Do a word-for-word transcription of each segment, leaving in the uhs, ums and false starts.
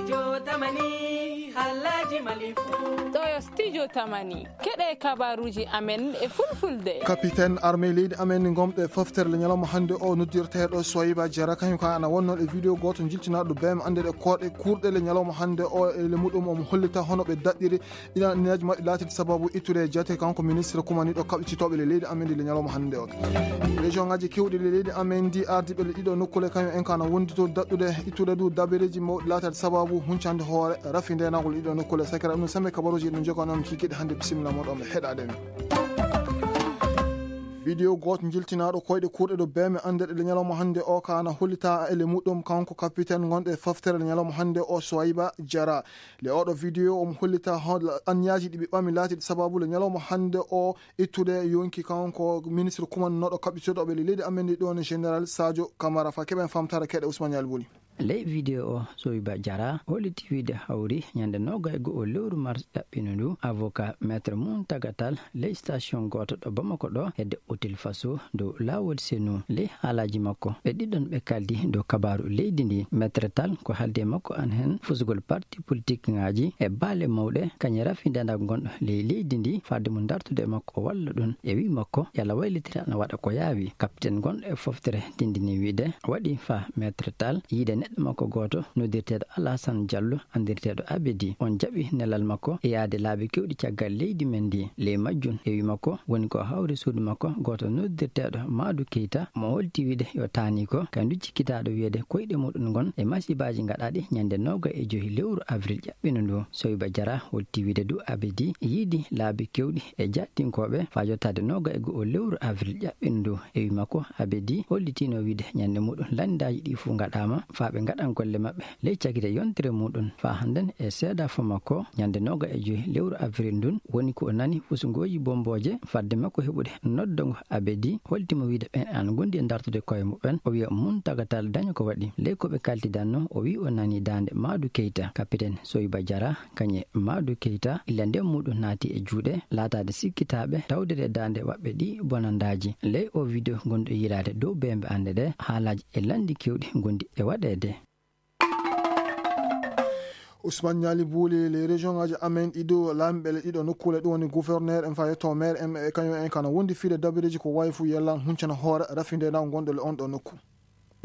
Jotamani, halaji malifu. Ɗo yo Studio Tamani. Keɗe kabaruji amen e fulfulde. Kapiten armée leydi amen gomɗo e foftere le ñalawma hannde o, noddirteeɗo Soyiba Jara, kañum ka ana wonno e vidéo gooto jiltinaaɗo B M annde ɗe koɗe kurɗe le ñalawma hannde o, e le muɗum omo hollita hono ɓe daɗɗiri ɗiɗan anniyaji maɓɓe laatiti sababu ittude e jate kanko ministre kumaniɗo kaɓɓititooɓe le leydi amen ndi le ñalawma hannde o. Région ngaji kewɗi le leydi amen ndi, ardiɓe le ɗiɗo nokkule kañum en kana wondito daɗɗude ittude du dabereji mawɗi laatade sababu huncande hoore rafi ndenagol ɗiɗo nokkule. Sakira ɗum sembe kabaruji ɗum jokano on kikiɗe hannde, bisimilla moɗon ɓe heɗaɗen. Vidéo gooto jiltinaaɗo koyɗe kurɗe ɗo B M annde ɗe le ñalawma hannde o kana hollita e le muɗum kanko capitaine gonɗo e foftere le ñalawma hannde o, Soyiba Jara. Le oɗo vidéo omo hollita hono anniyaji ɗi ɓe ɓami laatiɗi sababu le ñalawma hannde o ittude yonki kanko ministre kumannoɗo kaɓɓitoɗo ɓe leydi amen ndi ɗon, général Sadio Camara. Fa keɓen famtara keɗe Ousmane Yali Boli. Ley vidéo o, Soyiba Jara holliti wiide hawri ñande noga e go'o lewru mars ɗaɓɓino ndu avocat maître Muntagatal ley station gooto ɗo Bamako ɗo hedde Hôtel Faso dow laawol Senu. Ley haalaaji makko ɓe ɗiɗon ɓe kaldi dow kabaaru leydi ndi. Maître Tall ko haaldi e makko an heen fusugol parti politique ŋaaji e baale mawɗe kañe rafi ndendaangu ngonɗo ley leydi ndi fadde mum dartude e makko o walla ɗum. E wii makko yalla waylitira ana waɗa ko yaawi. Capitaine gonɗo e foftere tindini wiide waɗi fa Maître Tall yiide neɗɗo makko gooto noddirteeɗo Alassane Diallo anndirteeɗo Abedi. On jaɓi nelal makko e yaade laabi kewɗi caggal leydi men ndi. Ley majjum, e wii makko, woni ko hawri suudu makko gooto noddirteeɗo Maadu Keyta, mo holti wiide yo taani ko kañum du cikkitaaɗo wiyeede koyɗe muɗum ngon e masibaaji gaɗaaɗi ñande noga e joyi lewru avril ƴaɓɓino ndu. Soyba Jara holti wiide du Abedi yiidi laabi kewɗi e jaattinkooɓe faa yottaade noga e go'o lewru avril ƴaɓɓino ndu. E wii makko, Abedi hollitino wiide ñande muɗum lanndaaji ɗi fof ngaɗaama faa ɓe ngaɗan golle maɓɓe ley cagite yontere muɗum. Faa hannden e seedafo makko, ñande noga e joyi lewru avril ndun, woni ko o nani fusugooji bombooje fadde makko heɓude noddango Abedi, holti mo wiide ɓeen ana ngondi e dartude koye muɓɓen. O wiya Muntagatal daña ko waɗi. Ley ko ɓe kaltidanno, o wii o nani daande Maadu Keyta, kapiten Soyba Jara, kañe Maadu Keyta, illa nden muɗum naati e juuɗe, laataade sikkitaaɓe, tawde ɗe daande waɓɓe ɗi bonandaaji. Ley o video gonɗo yiilaade dow beembe annde ɗe, haalaaji e lanndi kewɗi ngondi e waɗeede. Ousmane Ñaali Buuli, les région ngaji amen ɗiɗo, laamiɓe le ɗiɗo nokkuule, ɗum woni gouverneur en, faa yetto maire en, e kañum en kana wondi fiide dabireji ko wayi fu yellan huncana hoore rafinde na gonɗo le on ɗo nokku.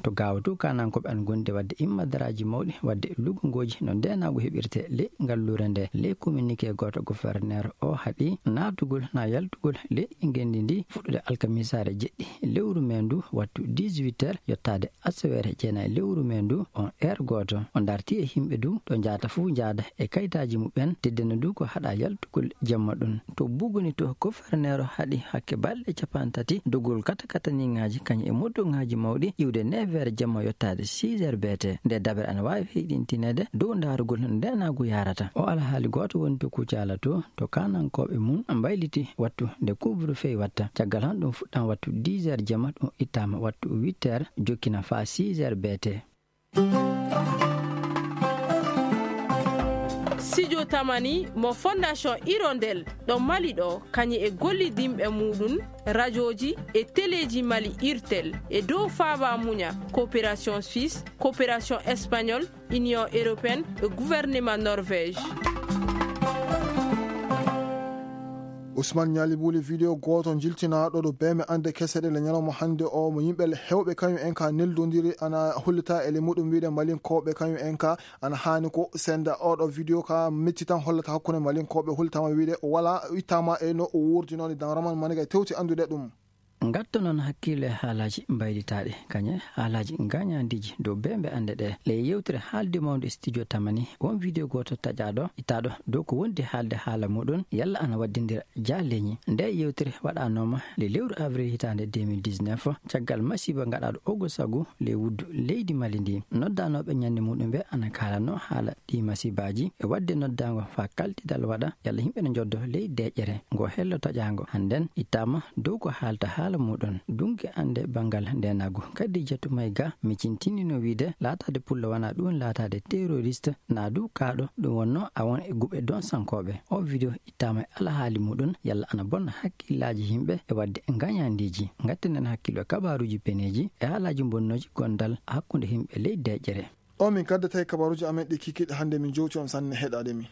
To gaawato kanankooɓe an gondi waɗde immadaraaji mawɗi waɗde lugungooji no ndeenaagu heɓirte ley ngalluure nde. Ley communiqué gooto, gouverneur o haɗi naatugol na yaltugol ley ngenndi ndi fuɗɗude alkamisaare jeɗɗi lewru mee ndu wattu dix-huit heures yottaade asaweere jeenayi lewru mee ndu, on heure gooto. O darti e yimɓe du ɗo njaata fuu njaada e kayitaaji muɓɓen, teddena du ko haɗa yaltugol jemma ɗum. To Buguni to, gouverneur haɗi hakke balɗe cappanɗe tati dogol katakataniŋaaji kañum e motoŋaaji mawɗi iwde neuf heures jemma yottaade six heures beete. Nde dabere ana waawi heyɗintineede dow ndaarugol no ndeenaagu yaarata. O alhaali gooto woni to Kucaala to, to kanankooɓe mum mbayliti wattu nde couvre-feu watta. Caggal han ɗum fuɗɗan wattu dix heures jemma, ɗum ittaama wattu huit heures, jokkina faa six heures beete. Studio Tamani mo Fondation Hirondelle ɗo Mali ɗo, kañum e gollidinɓe muɗum, rajooji e teleeji Mali, Irtel, e dow faaba muña, coopération suisse, coopération espagnole, Union européenne e gouvernement Norvège. Ousmane Ñaali Buuli, video gooto jiltinaaɗo ɗo beeme annde kese ɗe le ñalawma hannde o, mo yimɓe le heewɓe kañum en ka neldondiri, ana hollita e le muɗum wiide Malinkooɓe kañum en ka ana haani ko senda. Oɗo video ka mettitan hollata hakkunde Malinkooɓe, hollitama wiide o wala, ittama e no o wurdinoni. Dan Raman Maniga tewti anndude ɗum. Ngatto noon hakkille e haalaaji mbaylitaaɗi, kañe haalaaji ngañaandiiji dow beembe annde ɗe. Ley yewtere haalde mawnde Studio Tamani, won video gooto taƴaaɗo, ittaaɗo dow ko wondi haalde haala muɗum, yalla ana waddindira jaaleeñi. Nde yewtere waɗaanooma le lewru avril hitaande deux mille dix-neuf, caggal masiiba ngaɗaaɗo ogo sagu ley wuddu leydi Mali ndi. Noddaanooɓe ñande muɗum ɓe ana kaalanoo haala ɗi masiibaaji e waɗde noddaango faa kaltidal waɗa yalla yimɓe no njoddo ley deeƴere. Ngo hello taƴaango hannden ittaama dow ko haalta haala muɗum. Dunki annde banngal ndeenaagu Kadijatu Mayga micintinino wiide laataade pullo wanaa ɗum laataade terroriste, naa du kaaɗo ɗum wonnoo a won e guɓe donsankooɓe. O video ittaama e alhaali muɗum yalla ana bonna hakkillaaji yimɓe e waɗde ngañaandiiji. Ngattinen hakkillo e kabaaruuji peneeji e haalaaji bonnooji gondal hakkunde yimɓe ley deeƴere. Ɗo min kaddata e kabaruuji amen ɗi kikiiɗe hannde, min jowti on sanne heɗaade min.